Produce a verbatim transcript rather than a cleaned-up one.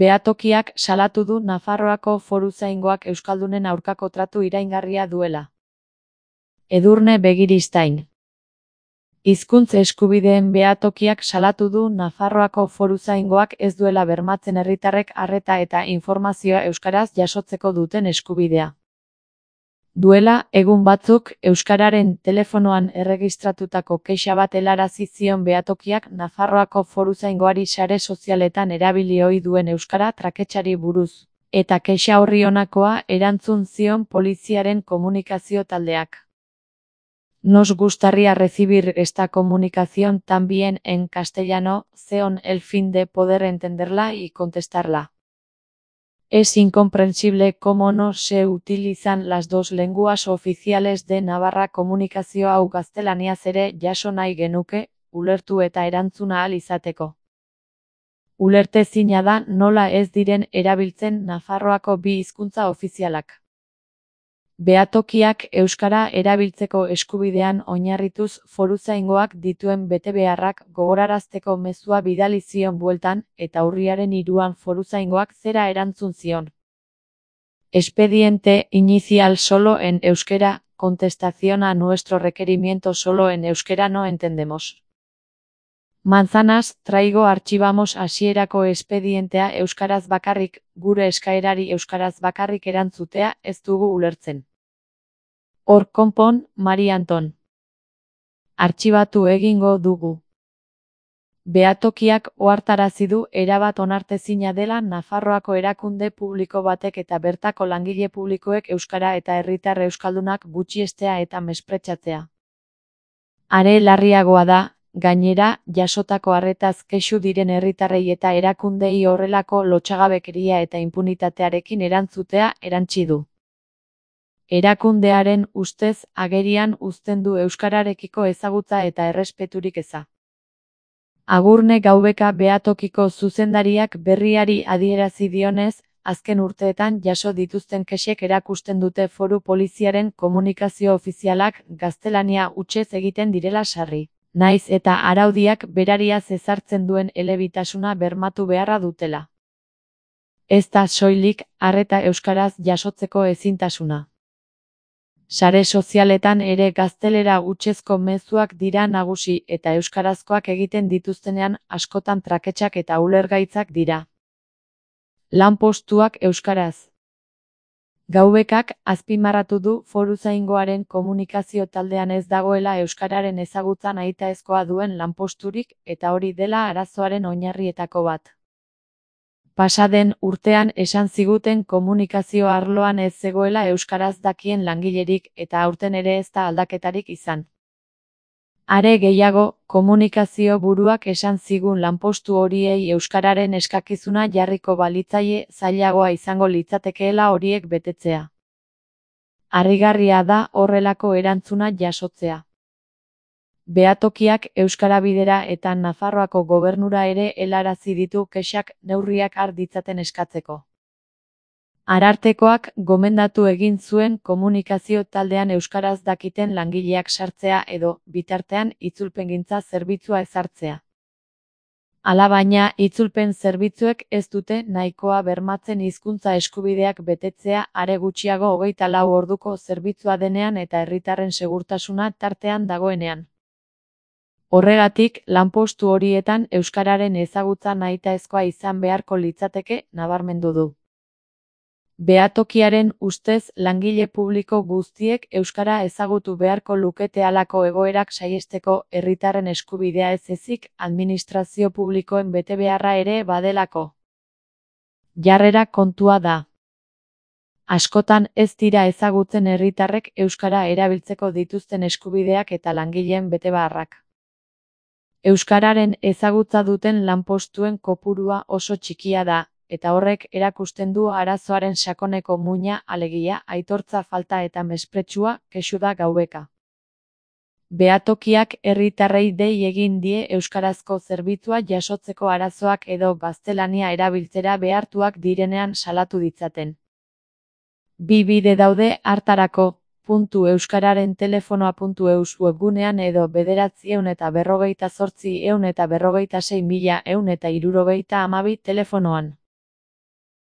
Behatokiak salatu du Nafarroako foruzaingoak euskaldunen aurkako tratu iraingarria duela. Edurne Begiristain. Hizkuntz eskubideen behatokiak salatu du Nafarroako foruzaingoak ez duela bermatzen herritarrek arreta eta informazioa euskaraz jasotzeko duten eskubidea. Duela, egun batzuk, euskararen telefonoan erregistratutako kexa bat helarazi zion behatokiak Nafarroako foruzaingoari sare sozialetan erabili ohi duen euskara traketsari buruz, eta kexa horri honakoa erantzun zion poliziaren komunikazio taldeak. Nos gustaría recibir esta comunicación también en castellano, con el fin de poder entenderla y contestarla. Es incomprensible cómo no se utilizan las dos lenguas oficiales de Navarra komunikazio hau gaztelaniaz ere jaso nahi genuke, ulertu eta erantzuna ahal izateko. Ulertezina da nola ez diren erabiltzen Nafarroako bi hizkuntza ofizialak. Behatokiak euskara erabiltzeko eskubidean oinarrituz foruzaingoak dituen betebeharrak gogorarazteko mezua bidali zion bueltan eta urriaren hiruan foruzaingoak zera erantzun zion. Expediente inicial solo en euskera, contestación a nuestro requerimiento solo en euskera no entendemos. Manzanas, traigo archivamos hasierako espedientea euskaraz bakarrik, gure eskaerari euskaraz bakarrik erantzutea ez dugu ulertzen. Hor konpon, Mari Anton. Artxibatu egingo dugu. Behatokiak ohartarazi du erabat onartezina dela Nafarroako erakunde publiko batek eta bertako langile publikoek euskara eta herritar euskaldunak gutxiestea eta mespretxatzea. Are larriagoa da, gainera, jasotako arretaz kexu diren herritarrei eta erakundei horrelako lotsagabekeria eta impunitatearekin erantzutea erantsi du. Erakundearen ustez agerian uzten du euskararekiko ezagutza eta errespeturik eza. Agurne Gaubeka behatokiko zuzendariak berriari adierazi dionez, azken urteetan jaso dituzten kexek erakusten dute foru poliziaren komunikazio ofizialak gaztelania hutsez egiten direla sarri. Naiz eta araudiak berariaz ezartzen duen elebitasuna bermatu beharra dutela. Ez da soilik arreta euskaraz jasotzeko ezintasuna. Sare sozialetan ere gaztelera hutsezko mezuak dira nagusi eta euskarazkoak egiten dituztenean askotan traketsak eta ulergaitzak dira. Lanpostuak euskaraz. Gaubekak azpimarratu du foruzaingoaren komunikazio taldean ez dagoela euskararen ezagutza nahitaezkoa duen lanposturik eta hori dela arazoaren oinarrietako bat. Pasaden urtean esan ziguten komunikazio arloan ez zegoela euskaraz dakien langilerik eta aurten ere ez da aldaketarik izan. Are gehiago, komunikazio buruak esan zigun lanpostu horiei euskararen eskakizuna jarriko balitzaie zailagoa izango litzatekeela horiek betetzea. Harrigarria da horrelako erantzuna jasotzea. Behatokiak euskara bidera eta Nafarroako gobernura ere helarazi ditu kexak neurriak har ditzaten eskatzeko. Arartekoak gomendatu egin zuen komunikazio taldean euskaraz dakiten langileak sartzea edo, bitartean, itzulpengintza zerbitzua ezartzea. Alabaina, itzulpen zerbitzuek ez dute nahikoa bermatzen hizkuntza eskubideak betetzea are gutxiago hogeita lau orduko zerbitzua denean eta herritarren segurtasuna tartean dagoenean. Horregatik, lanpostu horietan euskararen ezagutza nahitaezkoa izan beharko litzateke nabarmendu du. Behatokiaren ustez langile publiko guztiek euskara ezagutu beharko lukete halako egoerak saihesteko herritarren eskubidea ez ezik administrazio publikoen betebeharra ere badelako. Jarrera kontua da. Askotan ez dira ezagutzen herritarrek euskara erabiltzeko dituzten eskubideak eta langileen betebeharrak. Euskararen ezagutza duten lanpostuen kopurua oso txikia da, eta horrek erakusten du arazoaren sakoneko muina alegia aitortza falta eta mespretxua kexu da Gaubeka. Behatokiak herritarrei dei egin die euskarazko zerbitzua jasotzeko arazoak edo gaztelania erabiltzera behartuak direnean salatu ditzaten. Bi bide daude hartarako. Puntu euskararen telefonoa puntu eus webgunean edo bederatzi ehun eta berrogeita zortzi ehun eta berrogeita sei mila ehun eta hirurogeita hamabi telefonoan.